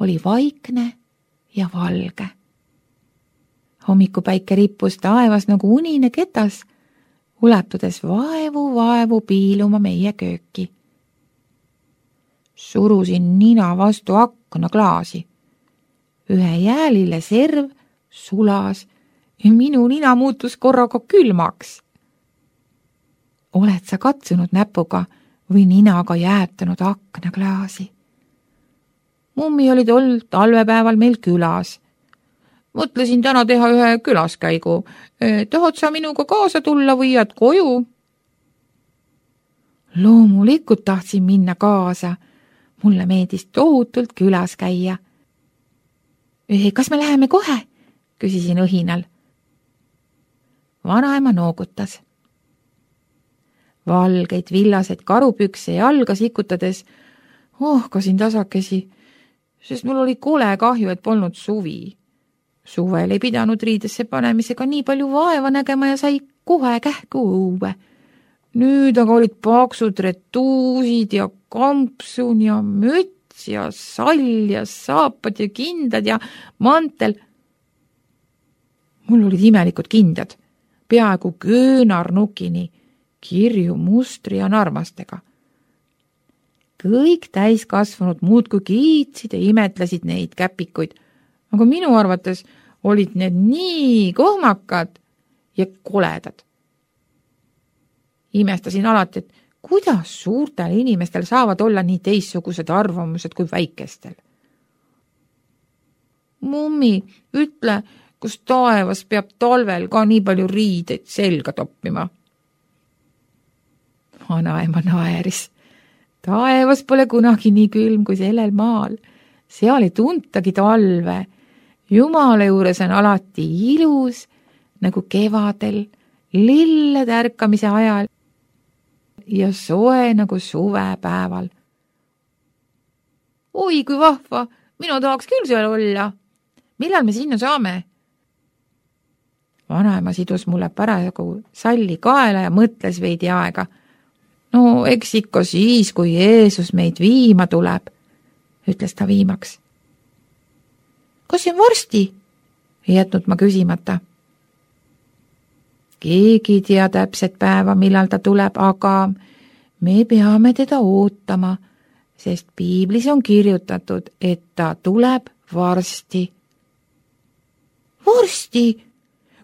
oli vaikne ja valge. Hommikupäike rippus taevas nagu unine ketas, ulatudes vaevu piiluma meie kööki. Surusin nina vastu aknaklaasi. Ühe jäälile serv sulas ja minu nina muutus korraga külmaks. Oled sa katsunud näpuga või ninaga jäätanud aknaklaasi? Mummi oli tol talvepäeval meil külas. Mõtlesin täna teha ühe külaskäigu. Tahad sa minuga kaasa tulla või jääd koju? Loomulikult tahtsin minna kaasa. Mulle meeldis tohutult külas käia. Kas me läheme kohe? Küsisin õhinal. Vanaema noogutas. Valgeid villaseid karupükse jalga sikutades ohkasin tasakesi, sest mul oli kole kahju, et polnud suvi. Suvel ei pidanud riidesse panemisega nii palju vaeva nägema ja sai kohe kähku õue. Nüüd aga olid paksud retuusid ja kampsun ja müts ja sall ja saapad ja kindad ja mantel. Mul olid imelikud kindad, peaaegu köönarnukini, kirju mustri ja narmastega. Kõik täiskasvanud muudkui kiitsid ja imetlesid neid käpikuid, aga minu arvates olid need nii kohmakad ja koledad. Imestasin alati, et kuidas suurtel inimestel saavad olla nii teistsugused arvamused kui väikestel. Mummi, ütle, kus taevas peab talvel ka nii palju riideid selga toppima? Vanaema naeris. Taevas pole kunagi nii külm kui sellel maal. Seal ei tuntagi talve. Jumala juures on alati ilus, nagu kevadel, lillede ärkamise ajal ja soe nagu suvepäeval. Oi, kui vahva, mina tahaks küll seal olla. Millal me sinna saame? Vanaema sidus mulle parajagu salli kaela ja mõtles veidi aega. No, eks ikka siis, kui Jeesus meid viima tuleb, ütles ta viimaks. Kas see on varsti? Ei jätnud ma küsimata. Keegi ei tea täpset päeva, millal ta tuleb, aga me peame teda ootama, sest piiblis on kirjutatud, et ta tuleb varsti. Varsti?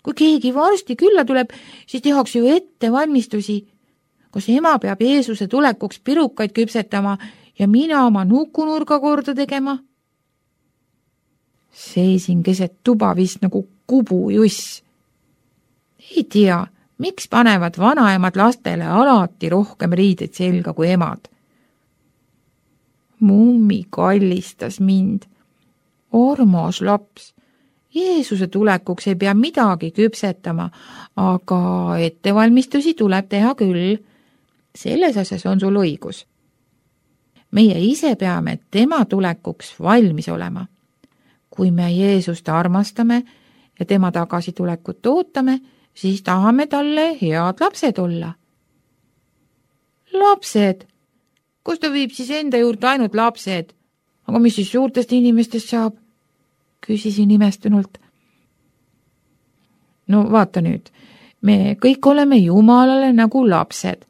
Kui keegi varsti külla tuleb, siis tehakse ju ettevalmistusi. Kas ema peab Jeesuse tulekuks pirukaid küpsetama ja mina oma nukunurga korda tegema? Seisin keset tuba vist nagu kubujuss. Ei tea, miks panevad vanaemad lastele alati rohkem riideid selga kui emad. Mummi kallistas mind. Armas laps. Jeesuse tulekuks ei pea midagi küpsetama, aga ettevalmistusi tuleb teha küll. Selles asjas on sul õigus. Meie ise peame tema tulekuks valmis olema. Kui me Jeesust armastame ja tema tagasitulekut ootame, siis tahame talle head lapsed olla. Lapsed? Kus ta viib siis enda juurde ainult lapsed? Aga mis siis suurtest inimestest saab? Küsisin imestunult. No vaata nüüd, me kõik oleme Jumalale nagu lapsed.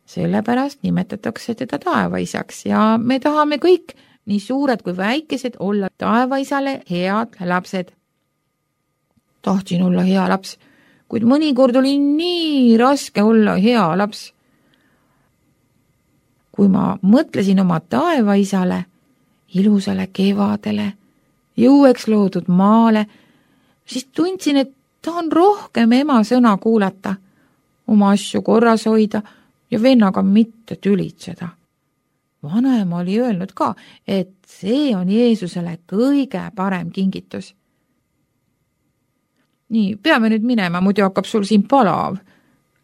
Sellepärast nimetatakse teda taevaisaks ja me tahame kõik, nii suured kui väikesed, olla taevaisale head lapsed. Tahtsin olla hea laps, kuid mõnikord oli nii raske olla hea laps. Kui ma mõtlesin oma taevaisale, ilusale kevadele, jõueks loodud maale, siis tundsin, et tahan rohkem ema sõna kuulata, oma asju korras hoida ja vennaga mitte tülitseda. Vanaema oli öelnud ka, et see on Jeesusele kõige parem kingitus. Nii, peame nüüd minema, muidu hakkab sul siin palav,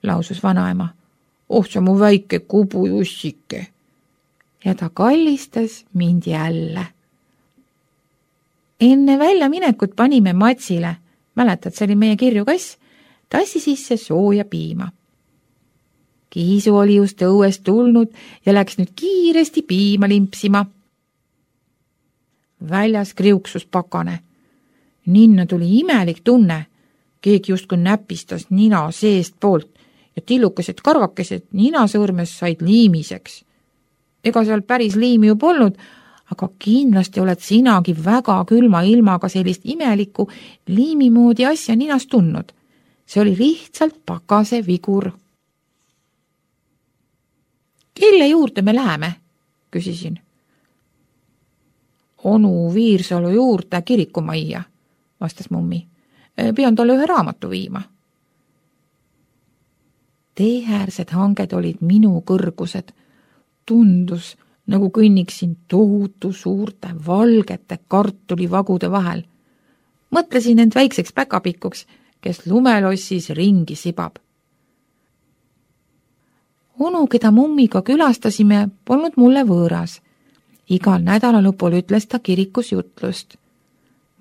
lausus vanaema. Oh, see mu väike kubujussike. Ja ta kallistas mind jälle. Enne väljaminekut panime Matsile, mäletad, see oli meie kirjukass, tassi sisse sooja piima. Kiisu oli just õuest tulnud ja läks nüüd kiiresti piima limpsima. väljas kriuksus pakane. Ninna tuli imelik tunne. Keegi justkui näpistas nina seest poolt ja tillukesed karvakesed ninasõõrmes said liimiseks. Ega seal päris liimi ju polnud, aga kindlasti oled sinagi väga külma ilmaga sellist imelikku liimimoodi asja ninast tundnud. See oli lihtsalt pakase vigur. Kelle juurde me läheme? Küsisin. Onu Viirsalu juurde kirikumajja, vastas mummi. Pean talle ühe raamatu viima. Teeäärsed hanged olid minu kõrgused. Tundus, nagu kõnniksin tohutu suurte valgete kartulivagude vahel. Mõtlesin end väikseks päkapikuks, kes lumelossis ringi sibab. Onu, keda mummiga külastasime, polnud mulle võõras. Igal nädalalõpul ütles ta kirikus jutlust.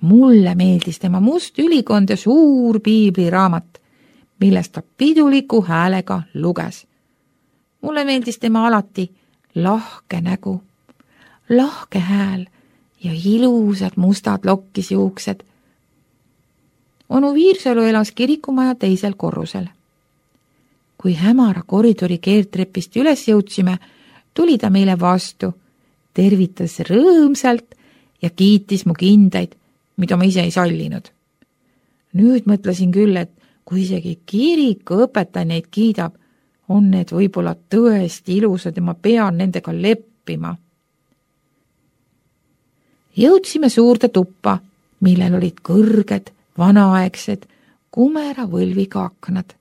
Mulle meeldis tema must ülikond ja suur piibliraamat, millest ta piduliku häälega luges. Mulle meeldis tema alati lahke nägu, lahke hääl ja ilusad mustad lokkisjuuksed. Onu Viirsalu elas kirikumaja teisel korrusel. Kui hämara koridori keertrepist üles jõudsime, tuli ta meile vastu, tervitas rõõmsalt ja kiitis mu kindaid, mida ma ise ei sallinud. Nüüd mõtlesin küll, et kui isegi kirikuõpetaja neid kiidab, on need võib-olla tõesti ilusad ja ma pean nendega leppima. Jõudsime suurde tuppa, millel olid kõrged, vanaaegsed, kumera võlviga aknad.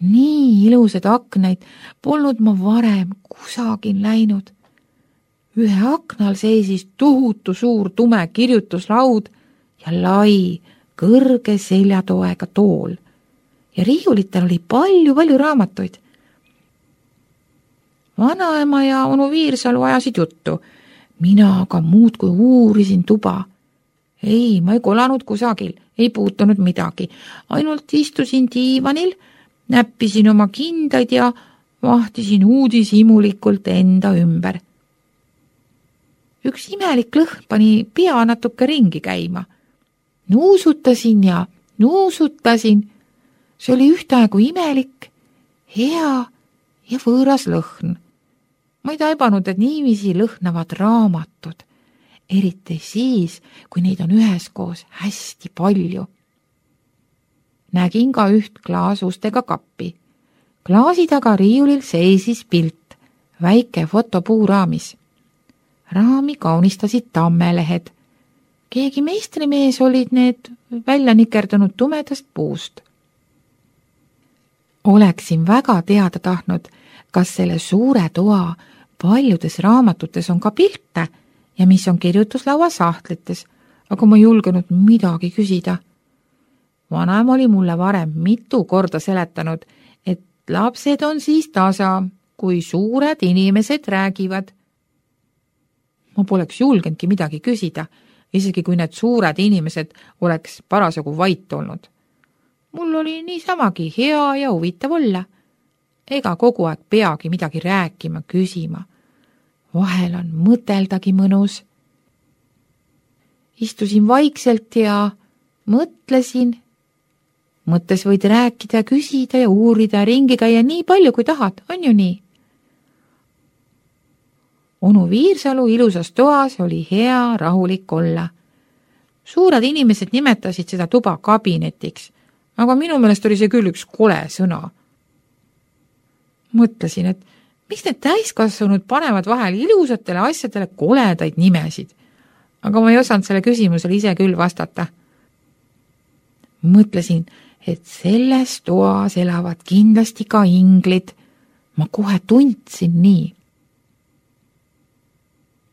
Nii ilusad aknaid polnud ma varem kusagil näinud. Ühe aknal seisis tohutu suur tume kirjutuslaud ja lai, kõrge seljatoega tool. Ja riiulitel oli palju raamatuid. Vanaema ja onu Viirsalu ajasid juttu. Mina aga muudkui uurisin tuba. Ei, ma ei kolanud kusagil, ei puutunud midagi. Ainult istusin diivanil, näppisin oma kindaid ja vahtisin uudishimulikult enda ümber. Üks imelik lõhn pani pea natuke ringi käima. Nuusutasin ja nuusutasin. See oli ühtaegu imelik, hea ja võõras lõhn. Ma ei taibanud, et niiviisi lõhnavad raamatud, eriti siis, kui neid on üheskoos hästi palju. Nägin ka üht klaasustega kappi. Klaasi taga riiulil seisis pilt, väike fotopuuraamis. Raami kaunistasid tammelehed. Keegi meistrimees olid need välja nikerdunud tumedast puust. Oleksin väga teada tahtnud, kas selle suure toa paljudes raamatutes on ka pilte ja mis on kirjutuslaua sahtlites, aga ma ei julgenud midagi küsida. Vanem oli mulle varem mitu korda seletanud, et lapsed on siis tasa, kui suured inimesed räägivad. Ma poleks julgenudki midagi küsida, isegi kui need suured inimesed oleks parasjagu vait olnud. Mul oli niisamagi hea ja huvitav olla. Ega kogu aeg peagi midagi rääkima, küsima. Vahel on mõteldagi mõnus. Istusin vaikselt ja mõtlesin. Mõttes võid rääkida, küsida ja uurida, ringi käia nii palju, kui tahad, on ju nii? Onu Viirsalu ilusas toas oli hea rahulik olla. Suured inimesed nimetasid seda tuba kabinetiks, aga minu meelest oli see küll üks kole sõna. Mõtlesin, et miks need täiskasvanud panevad vahel ilusatele asjadele koledaid nimesid, aga ma ei osanud selle küsimusele ise küll vastata. Mõtlesin, et selles toas elavad kindlasti ka inglid. Ma kohe tundsin nii.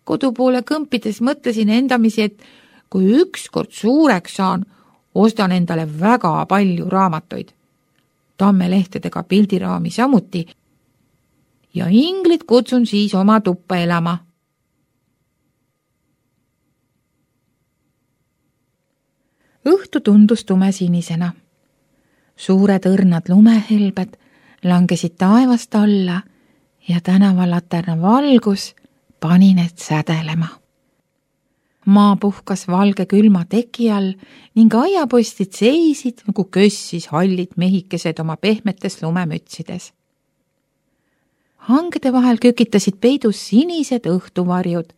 Kodupoole kõmpides mõtlesin endamisi, et kui ükskord suureks saan, ostan endale väga palju raamatuid. Tammelehtedega pildiraami samuti ja inglid kutsun siis oma tuppa elama. Õhtu tundus tumesinisena. Suured õrnad lumehelbed langesid taevast alla ja tänavalaterna valgus pani need sädelema. maa puhkas valge külma teki all ning aiapostid seisid nagu kössis hallid mehikesed oma pehmetes lumemütsides. Hangede vahel kükitasid peidus sinised õhtuvarjud.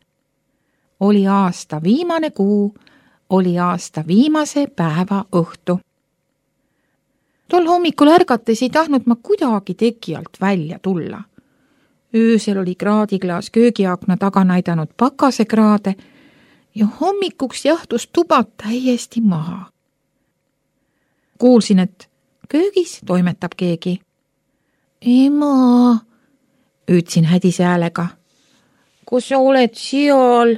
Oli aasta viimane kuu, oli aasta viimase päeva õhtu. Tol hommikul ärgates ei tahtnud ma kuidagi teki alt välja tulla. Öösel oli kraadiklaas köögiakna taga näidanud pakasekraade ja hommikuks jahtus tuba täiesti maha. Kuulsin, et köögis toimetab keegi. Ema, ütlesin hädise häälega. Kus sa oled seal?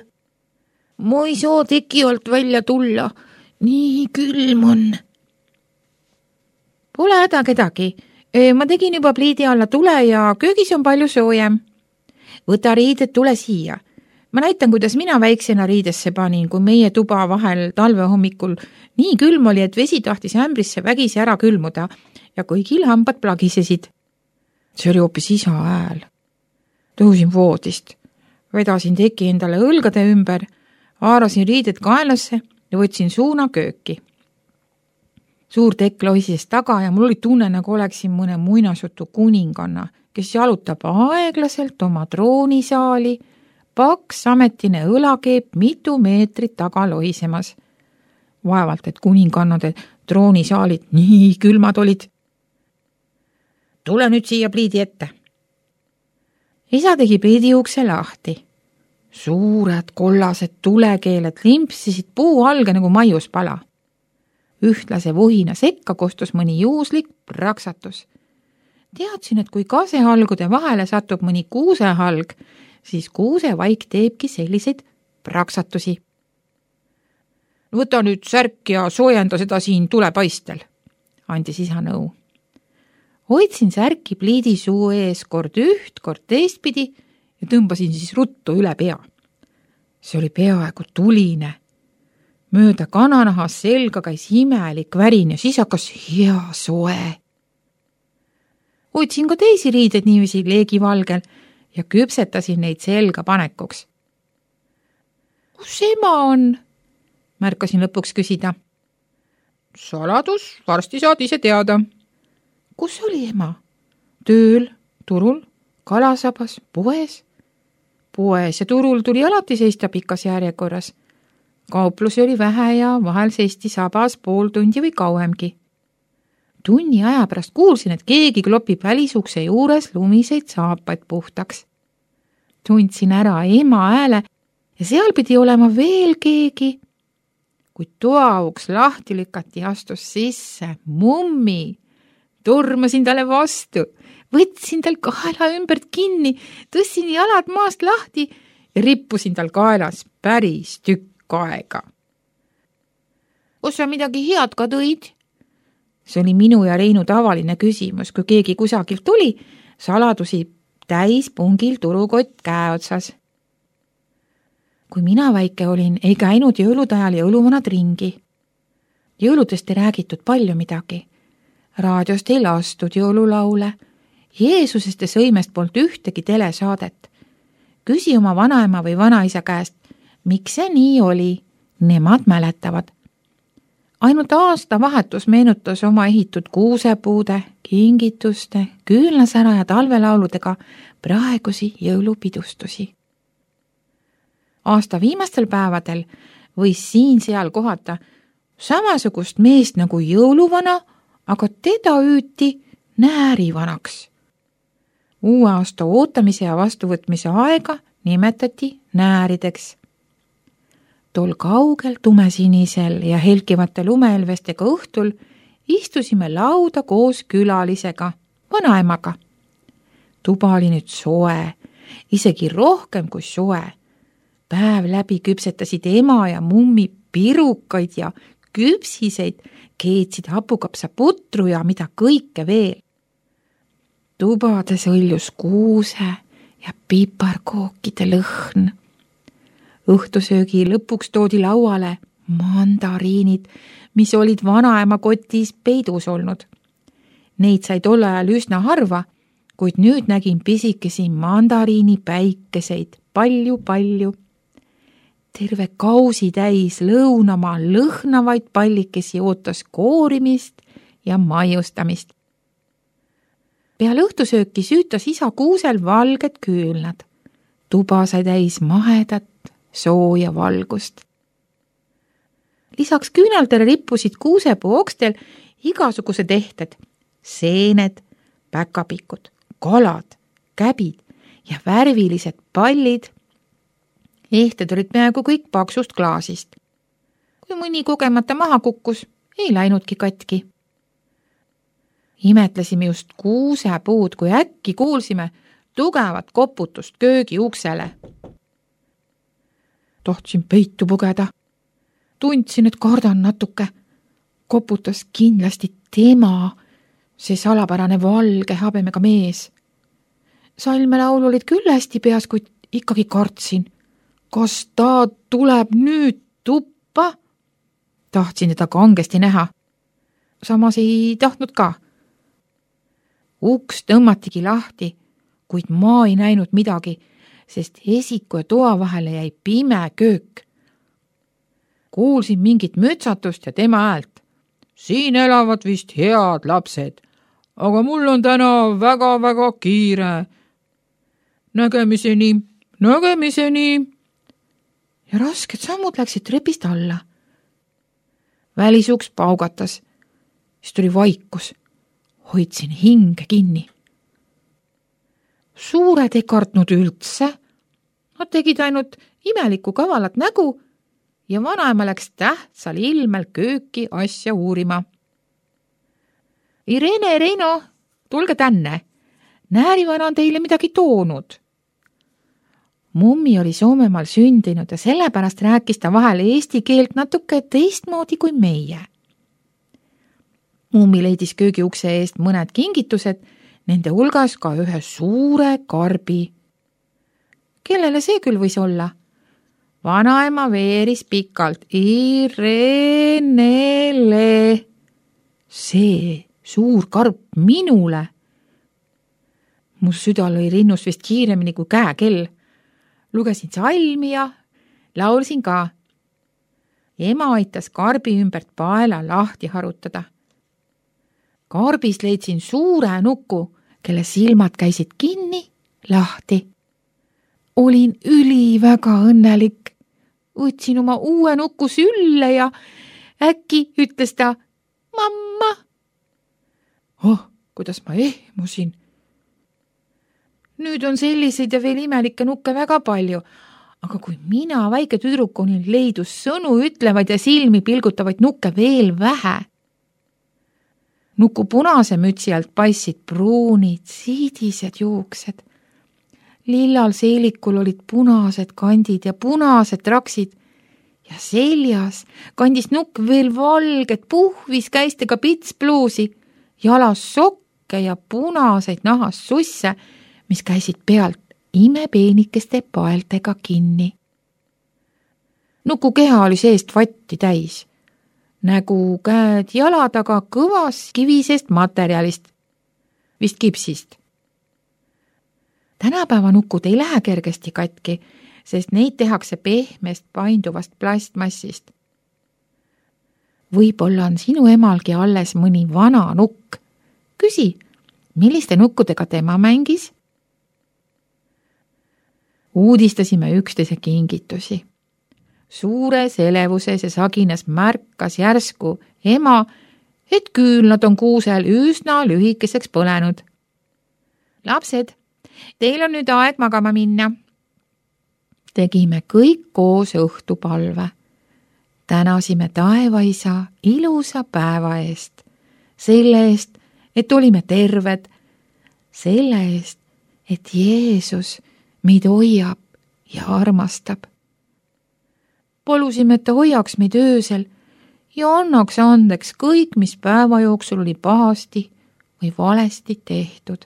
Ma ei saa teki alt välja tulla. Nii külm on. Pole häda kedagi. Ma tegin juba pliidi alla tule ja köögis on palju soojem. Võta riided, tule siia. Ma näitan, kuidas mina väiksena riidesse panin, kui meie tuba vahel talve hommikul nii külm oli, et vesi tahtis ämbrisse vägisi ära külmuda ja kõigil hambad plagisesid. See oli hoopis isa hääl. Tõusin voodist, vedasin teki endale õlgade ümber, haarasin riided kaelasse ja võtsin suuna kööki. Suur tekk lohises taga ja mul oli tunne, nagu oleksin mõne muinasjutu kuninganna, kes jalutab aeglaselt oma troonisaali, paks ametine õlakeep mitu meetrit taga lohisemas. Vaevalt, et kuningannade troonisaalid nii külmad olid. Tule nüüd siia pliidi ette. Isa tegi pliidi ukse lahti. Suured kollased tulekeeled limpsisid puu alge nagu maiuspala. Ühtlase vuhina sekka kostus mõni juuslik praksatus. Teadsin, et kui kasehalgude vahele satub mõni kuusehalg, siis kuusevaik teebki selliseid praksatusi. Võta nüüd särk ja soojenda seda siin tulepaistel, andis isa nõu. Hoidsin särki pliidi suu ees kord üht, kord teistpidi ja tõmbasin siis ruttu üle pea. See oli peaaegu tuline. Mööda kananahas selga käis imelik värin ja siis hakkas hea soe. Hoidsin ka teisi riided niiviisi leegivalgel ja küpsetasin neid selga panekuks. Kus ema on? Märkasin lõpuks küsida. Saladus, varsti saad ise teada. Kus oli ema? Tööl, turul, kalasabas, poes? Poes ja turul tuli alati seista pikas järjekorras. Kauplusi oli vähe ja vahel seisti sabas pool tundi või kauemgi. Tunni aja pärast kuulsin, et keegi klopib välisukse juures lumiseid saapaid puhtaks. Tundsin ära ema hääle ja seal pidi olema veel keegi. Kui toauks lahti lükati, astus sisse mummi. Tormasin talle vastu, võtsin tal kaela ümbert kinni, tõssin jalad maast lahti ja rippusin tal kaelas päris tükk aega. Kus sa midagi head ka tõid? See oli minu ja Reinu tavaline küsimus, kui keegi kusagilt tuli, saladusi täis pungil turukott käe otsas. Kui mina väike olin, ei käinud jõulude ajal jõuluvanad ringi. Jõuludest ei räägitud palju midagi. Raadiost ei lastud jõululaule. Jeesusest ja sõimest polnud ühtegi telesaadet. Küsi oma vanaema või vanaisa käest, miks see nii oli? Nemad mäletavad. Ainult aasta vahetus meenutas oma ehitud kuusepuude, kingituste, küünlasära ja talvelauludega praegusi jõulupidustusi. Aasta viimastel päevadel võis siin-seal kohata samasugust meest nagu jõuluvana, aga teda hüüti näärivanaks. Uue aasta ootamise ja vastuvõtmise aega nimetati näärideks. Tol kaugel tumesinisel ja helkivate lumeelvestega õhtul istusime lauda koos külalisega, vanaemaga. Tuba oli nüüd soe, isegi rohkem kui soe. Päev läbi küpsetasid ema ja mummi pirukaid ja küpsiseid, keetsid hapukapsaputru ja mida kõike veel. Tubades õljus kuuse ja piparkookide lõhn. Õhtusöögi lõpuks toodi lauale mandariinid, mis olid vanaema kotis peidus olnud. Neid sai tol ajal üsna harva, kuid nüüd nägin pisikesi mandariini päikeseid palju-palju. terve kausi täis lõunamaa lõhnavaid pallikesi ootas koorimist ja maiustamist. Peale õhtusööki süütas isa kuusel valged küünlad. Tuba sai täis mahedat, sooja valgust. Lisaks küünaldele rippusid kuusepuu okstel igasugused ehted, seened, päkapikud, kalad, käbid ja värvilised pallid. Ehted olid peaaegu kõik paksust klaasist. Kui mõni kogemata maha kukkus, ei läinudki katki. Imetlesime just kuusepuud, kui äkki kuulsime tugevat koputust köögi uksele. Tohtsin peitu pugeda. Tundsin, et kardan natuke. Koputas kindlasti tema, see salapärane valge habemega mees. Salmelaul olid küll hästi peas, kuid ikkagi kartsin. Kas ta tuleb nüüd tuppa? Tahtsin teda kangesti näha. Samas ei tahtnud ka. Uks tõmmatigi lahti, kuid ma ei näinud midagi, sest esiku ja toa vahele jäi pime köök. Kuulsin mingit mütsatust ja tema häält. Siin elavad vist head lapsed, aga mul on täna väga-väga kiire. Nägemiseni. Ja rasked sammud läksid trepist alla. Välisuks paugatas. Siis tuli vaikus. Hoidsin hinge kinni. Suured ei kartnud üldse. Nad tegid ainult imelikku kavalat nägu ja vanaema läks tähtsal ilmel kööki asja uurima. Irene, Reino, tulge tänne. Näärivana on teile midagi toonud. Mummi oli Soomemaal sündinud ja sellepärast rääkis ta vahel eesti keelt natuke teistmoodi kui meie. Mummi leidis köögiukse eest mõned kingitused, nende hulgas ka ühe suure karbi. Kellele see küll võis olla? Vanaema veeris pikalt. Irenele. See suur karp minule. Mu süda lõi rinnust vist kiiremini kui käekell. Lugesin salmi ja laulsin ka. Ema aitas karbi ümbert paela lahti harutada. Karbis leidsin suure nuku, kelle silmad käisid kinni, lahti. Olin väga õnnelik. Võtsin oma uue nuku sülle ja äkki ütles ta, mamma. Kuidas ma ehmusin. Nüüd on selliseid ja veel imelikke nukke väga palju, aga kui mina väike tüdruk olin, leidus sõnu ütlevaid ja silmi pilgutavaid nukke veel vähe. Nuku punase mütsi alt paissid pruunid, siidised juuksed. Lillal seelikul olid punased kandid ja punased traksid ja seljas kandis nukk veel valged puhvis käistega pitspluusi, jalas sokke ja punaseid nahas susse, mis käisid pealt imepeenikeste paeltega kinni. Nuku keha oli seest vatti täis. Nägu, käed, jalad aga kõvas kivisest materjalist, vist kipsist. Tänapäeva nukud ei lähe kergesti katki, sest neid tehakse pehmest painduvast plastmassist. Võib-olla on sinu emalgi alles mõni vana nukk. Küsi, milliste nukkudega tema mängis? Uudistasime üksteise kingitusi. Suures elevuses ja saginas märkas järsku ema, et küünlad on kuusel üsna lühikeseks põlenud. Lapsed, teil on nüüd aeg magama minna. Tegime kõik koos õhtupalve. Tänasime taevaisa ilusa päeva eest. Selle eest, et olime terved. Selle eest, et Jeesus meid hoiab ja armastab. Palusime, et ta hoiaks meid öösel ja annaks andeks kõik, mis päeva jooksul oli pahasti või valesti tehtud.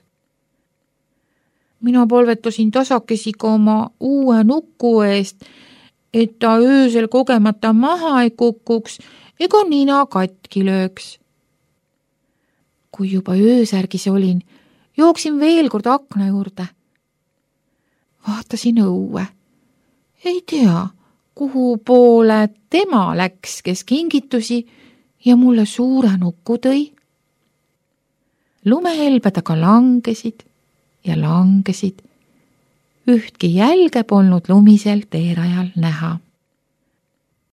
Mina palvetasin tasakesi ka oma uue nuku eest, et ta öösel kogemata maha ei kukuks ega nina katki lööks. Kui juba öösärgis olin, jooksin veel kord akna juurde. Vaatasin õue. Ei tea, kuhu poole tema läks, kes kingitusi ja mulle suure nuku tõi. Lumehelbed aga langesid ja langesid. Ühtki jälge polnud lumisel teerajal näha.